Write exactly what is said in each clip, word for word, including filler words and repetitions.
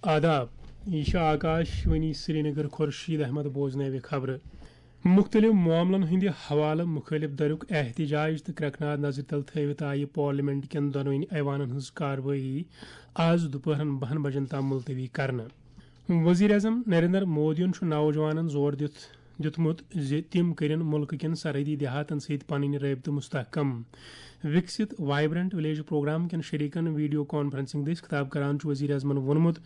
آداب، یہِ چھِ آکاش وانی سرینگر۔ خورشید احمد بوزنٲوِ خبرٕ۔ مُختٔلِف معاملن ہٕنٛدِ حوالہٕ مُخٲلِف دَریُک احتجاج تہٕ کرٛٮ۪کہٕ ناد نظرِ تل تھٲوِتھ آیہِ پارلیمنٹ کٮ۪ن دۄنوٕنی ایوانن ہٕنٛز کاروٲیی آز دُپہرن بَہَن بجن تام ملتوی کرنہٕ۔ وزیر اعظم نریندر مودیَن چھُ نوجوانن زور دِتھ دیُتمُت زِ تِم کٔرِن مُلکہٕ کٮ۪ن سرحدی دیہاتن سۭتۍ پنٕنۍ رٲبطہٕ مستحکم۔ وکست وائبرنٹ ولیج پروگرام کٮ۪ن شریکن ویڈیو کانفرنسنگ دٔسۍ خطاب کران چھُ وزیر اعظمن ووٚنمُت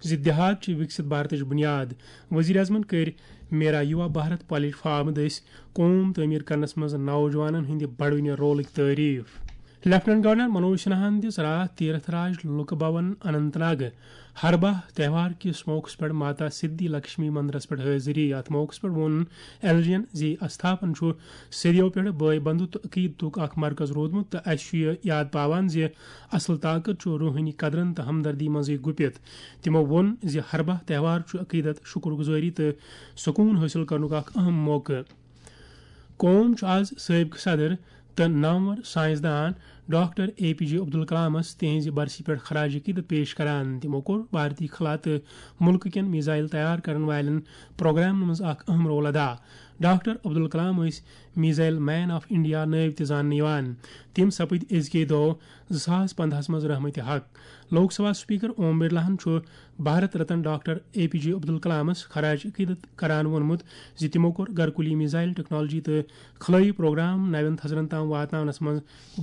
زِ دیہات چھِ وکست بھارتٕچ بنیاد۔ وزیر اعظمن کٔرۍ میرا یوا بھارت پلیٹ فارم دٔسۍ قوم تعمیر کرنس منٛز نوجوانن ہٕنٛدِ بڑوٕنہِ رولٕکۍ تعریف۔ لیفٹیننٹ گورنر منوج سنہاہن دِژ راتھ تیرتھ راج لُکہٕ بھون اننت ناگ ہرباہ تہوار کِس موقعس پٮ۪ٹھ ماتا سدھی لکشمی مندرس پٮ۪ٹھ حٲضری۔ اتھ موقعس پٮ۪ٹھ ووٚن ایل جی ین زِ استھاپن چھُ صدیو پٮ۪ٹھ بٲے بندُت تہٕ عقیدتُک اکھ مرکز روٗدمُت تہٕ اسہِ چھُ یہِ یاد پاوان زِ اصل طاقت چھُ روحٲنی قدرن تہٕ ہمدردی منٛزٕے گُپِتھ۔ تِمو ووٚن زِ ہرباہ تہوار چھُ عقیدت، شُکر گُزٲری تہٕ سکوٗن حٲصِل کرنُک اکھ اہم موقعہٕ۔ قوم چھُ آز سٲبقہٕ صدر تہٕ نامور سائنسدان ڈاکٹر اے پی جے عبدالکلامس تِہنٛزِ برسی پٮ۪ٹھ خراج عقیدت پیش کران۔ تِمو کوٚر بھارتی خلا تہٕ مُلکہٕ کٮ۪ن میزائل تیار کرن والٮ۪ن پروگرامن منٛز اکھ اہم رول ادا۔ ڈاکٹر عبدالکلام ٲسۍ میزائل مین آف انڈیا نٲوۍ تہِ زاننہٕ یِوان۔ تِم سپٕدۍ أزکے دۄہ زٕ ساس پندہَس منٛز رحمت حق۔ لوک سبھا سپیکر اوم برلاہن چھُ Bharat Ratna doctor A P J عبدالکلامس خراج عقیدت کران ووٚنمُت زِ تِمو کوٚر گرکُلی میزائل ٹیکنالوجی تہٕ خلٲیی پروگرام نوٮ۪ن تھزرن تام واتناونس منٛز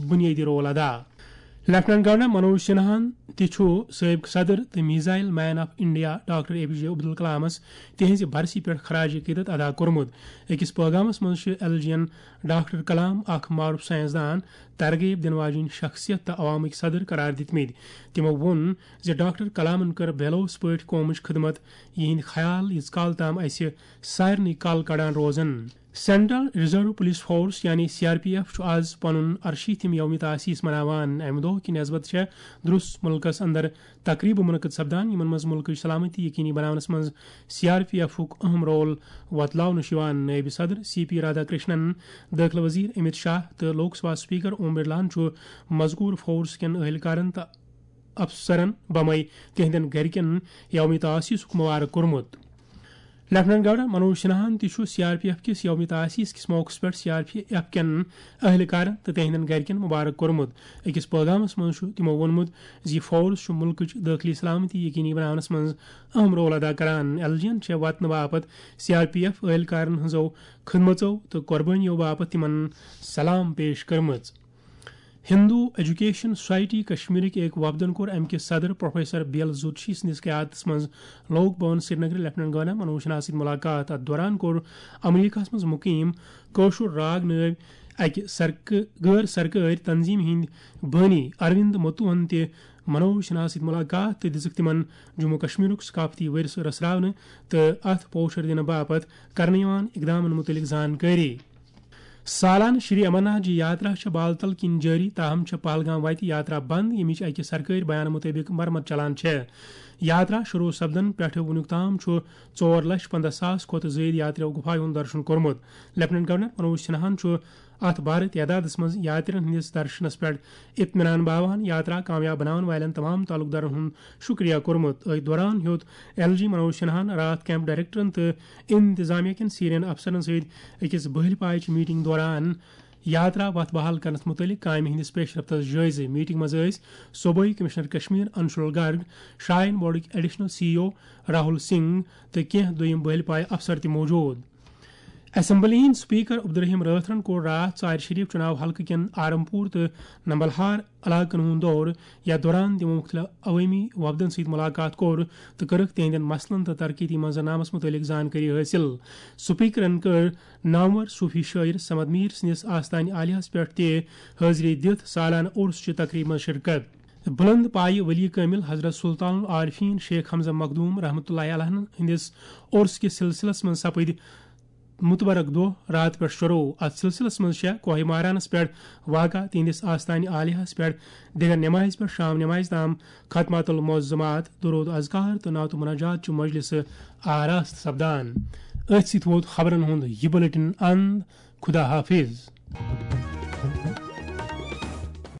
بنیٲدی رول ادا۔ لیفٹیننٹ گورنر منوج سنہاہن تہِ چھُ سٲبقہٕ صدر تہٕ missile man of India doctor A P J عبدالکلامس تِہنٛزِ برسی پٮ۪ٹھ خراج عقیدت ادا کوٚرمُت۔ أکِس پٲغامس منٛز چھِ ایل جی ین ڈاکٹر کلام اکھ معروف سائنسدان، ترغیب دِنہٕ واجیٚنۍ شخصیت تہٕ عوامٕکۍ صدر قرار دِتمٕتۍ۔ تِمو ووٚن زِ ڈاکٹر کلامن کٔر بے لوث پٲٹھۍ قومٕچ خدمت۔ یِہنٛدۍ خیال ییٖژ کال تام اسہِ سارنٕے کل کڑان روزن۔ سینٹرل ریزرو پولیس فورس یعنی سی آر پی ایف چھُ آز پنُن ارشیٖتھِم یوم تاسیس مناوان۔ امہِ دۄہ کہِ نسبت چھےٚ درس مُلکس اندر تقریبہٕ منعقد سپدان، یِمن منٛز مُلکٕچ سلامتی یقینی بناونس منٛز سی آر پی ایفُک اہم رول وۄتلاونہٕ چھُ یِوان۔ نٲیِب صدر سی پی رادھا کرشنن، دٲخلہٕ وزیر امت شاہ تہٕ لوک سبھا سپیکر اوم برلاہن چھُ مذکور فورس کٮ۪ن اہلکارن تہٕ افسرن بمے تِہنٛدٮ۪ن گرِکٮ۪ن یوم تاسیسُک مبارک کوٚرمُت۔ لیفٹیننٹ گورنر منوج سنہاہن تہِ چھُ سی آر پی ایف کِس یوم تاسیس کِس موقعس پٮ۪ٹھ سی آر پی ایف کٮ۪ن اہلکارن تہٕ تِہنٛدٮ۪ن گرِکٮ۪ن مبارک کوٚرمُت۔ أکِس پٲغامس منٛز چھُ تِمو ووٚنمُت زِ یہِ فورس چھُ مُلکٕچ دٲخلی سلامتی یقینی بناونس منٛز اہم رول ادا کران۔ ایل جی ین چھےٚ وطنہٕ باپتھ سی آر پی ایف اہلکارن ہٕنٛزو خدمژو تہٕ قربٲنیو باپتھ تِمن سلام پیش کٔرمٕژ۔ ہندو ایجوکیشن سوسائٹی کشمیرٕکۍ أکۍ وفدن کوٚر امہِ کہِ صدر پروفیسر بی ایل زرچھی سٕنٛدِس قیادتس منٛز لوک بھون سرینگرٕ لیفٹیننٹ گورنر منوج سنہا سۭتۍ ملاقات۔ اتھ دوران کوٚر امریکہس منٛز مقیم کٲشُر راگ نٲوۍ اکہِ سرکٲ-، غٲر سرکٲرۍ تنظیمہِ ہٕنٛدۍ بٲنی اروند متوہن تہِ منوج سنہا سۭتۍ ملاقات تہٕ دِژٕکھ تِمن جموں کشمیرُک ثقافتی ورثہٕ رژھراونہٕ تہٕ اتھ پوچھر دِنہٕ باپتھ کرنہٕ یِوان اقدامن مُتعلق زانکٲری۔ سالانہٕ شری امرناتھ جی یاترا چھےٚ بالتل کِنۍ جٲری، تاہم چھےٚ پہلگام وتہِ یاترا بند، ییٚمِچ اکہِ سرکٲرۍ بیانہٕ مُطٲبِق مرمت چلان چھےٚ۔ یاترا شروع سپدن پٮ۪ٹھٕ وُنیُک تام چھُ ژور لچھ پنٛداہ ساس کھۄتہٕ زٲیِد یاترِیو گُفایہِ ہُنٛد درشُن کوٚرمُت۔ لیفٹیننٹ گورنر منوج سنہاہن چھُ اتھ بھارت تعدادس منٛز یاترین ہٕنٛدِس درشنس پٮ۪ٹھ اطمینان باوان۔ یاترا کامیاب بناون والٮ۪ن تمام تعلق دارن ہُنٛد شُکریہ کوٚرمُت۔ أتھۍ دوران ہیوٚت ایل جی منوج سنہاہن راتھ کیمپ ڈائریکٹرن تہٕ انتظامیہ کٮ۪ن سینئر افسرن سۭتۍ أکِس بٔہلۍ پایچہِ میٹنگ دوران یاترا وتھ بحال کرنس مُتعلق کامہِ ہٕنٛدِس پیش رفتس جٲیزٕ۔ میٹنگ منٛز ٲسۍ صوبٲئی کمشنر کشمیر انشول گرگ، شرائن بورڈٕکۍ additional C E O Rahul Singh تہٕ کینٛہہ دوٚیم بٔہلۍ پایہِ افسر تہِ موجود۔ اسمبلی ہٕنٛدۍ سپیکر عبدالرحیم رٲتھرن کوٚر راتھ ژارِ شریف چُناو حلقہٕ کٮ۪ن آرم پور تہٕ نمبلہار علاقن ہُنٛد دورٕ۔ یتھ دوران تِمو مُختٔلِف عوٲمی وفدن سۭتۍ مُلاقات کوٚر تہٕ کٔرٕکھ تِہنٛدٮ۪ن مسلن تہٕ ترقیتی منظرنامس مُتعلق زانکٲری حٲصِل۔ سپیکرن کٔر نامور صوفی شٲعر صمد میر سٕنٛدِس آستانہِ عالیہس پٮ۪ٹھ تہِ حٲضری دِتھ سالانہٕ عرس چہِ تقریبہِ منٛز شرکت۔ بلند پایہِ ولی کٲمل حضرت سلطان العارفین شیخ حمزہ مخدوم رحمتہ اللہ علیہ ہٕنٛدِس عرس کِس سلسلس منٛز سپٕدۍ متبرک دۄہ راتہٕ پٮ۪ٹھ شروع۔ اتھ سلسلس منٛز چھےٚ کوہ مارانس پٮ۪ٹھ واقع تِہنٛدِس آستانہِ عالیہس پٮ۪ٹھ دِگر نمازِ پٮ۪ٹھ شام نمازِ تام ختمات المعظمات، درود اذکار تہٕ نعت و مناجات چہِ مجلسہٕ آراستہٕ سپدان۔ أتھۍ سۭتۍ ووت خبرن ہُنٛد یہِ بلیٹن اند۔ خدا حافظ۔